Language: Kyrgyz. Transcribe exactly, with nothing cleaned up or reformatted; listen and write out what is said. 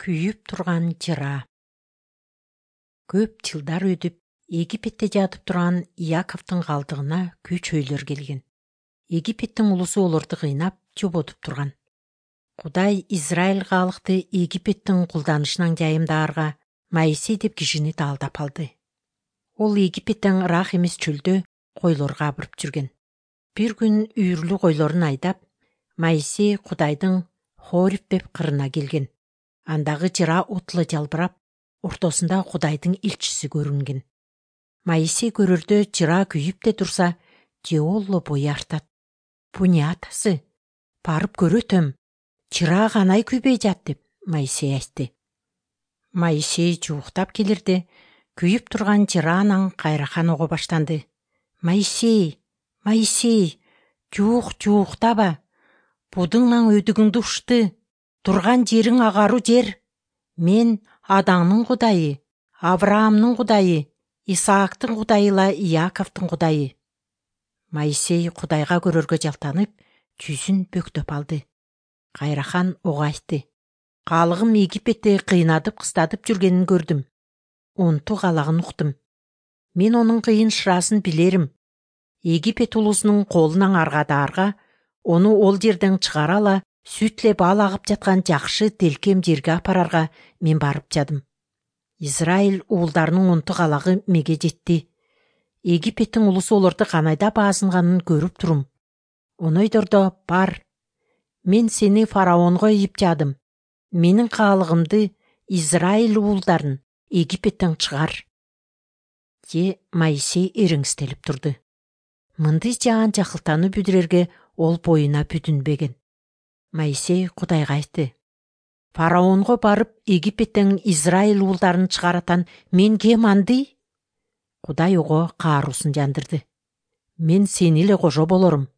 Күйүп турган жыра. Көп жылдар өтүп, Египетте жатып турган Яковдун калдыгына көчөйлөр келген. Египеттин улусу олорду кыйнап, жоботуп турган. Кудай Израиль калыкты Египеттин кулданышынан жайымдаарга Моисей деп кишини даалдап алды. Ол Египеттен ырак эмес чөлдө койлор кабырып жүргөн. Бир күн үйүрлүү койлорун айдап, Моисей Кудайдын Хореб деп кырына келген. Андагы жыра отлы жалбырап, ортосунда Кудайдын элчиси көрүнген. Моисей көрөрдө жыра күйүп де турса, Жеолло бой артат. Бу не атасы? Барып көрөтөм. Жыра канай күйбөй жат деп Моисей айтты. Моисей жууктап келирде, күйүп турган жыра анан кайрахан ого баштанды. Моисей, Моисей, жуук жууктаба. Будуңнан өдүгүңдү ушты. Турган жериң агаруу жер. Мен Адаңдын Кудайы, Авраамдын Кудайы, Исаактын Кудайыла Яковдун Кудайы. Моисей Кудайга көрөргө жалтанып, жүзүн бөктөп алды. Кайрахан ого айтты. Калыгым Египетте кыйнадып кыстатып жүргенин көрдүм. Онту калагын уктум. Мен онун кыйын шырасын билерим. Египет улусунун колунан аргадаарга, ону ол жерден чыгарала, сүтле бал агып жаткан жакшы делкем жерге апарарга мен барып жадым. Израиль уулдарынын онту калагы меге жетти. Египеттин улусу олорду канайда баазынганын көрүп турум. Онойдордо бар. Мен сени фараонго ийип жадым. Менин каалыгымды, Израиль уулдарын Египеттен чыгар. Же Моисей эриңстелип турду. Мындай жаан жакылтаны бүдүрөргө ол боюна бүтүнбөгөн. Моисей Кудайга айтты. Фараонго барып Египеттен Израиль уулдарын чыгаратан мен кем андый? Кудай ого кааруусун жандырды. Мен сени эле кожо болорум.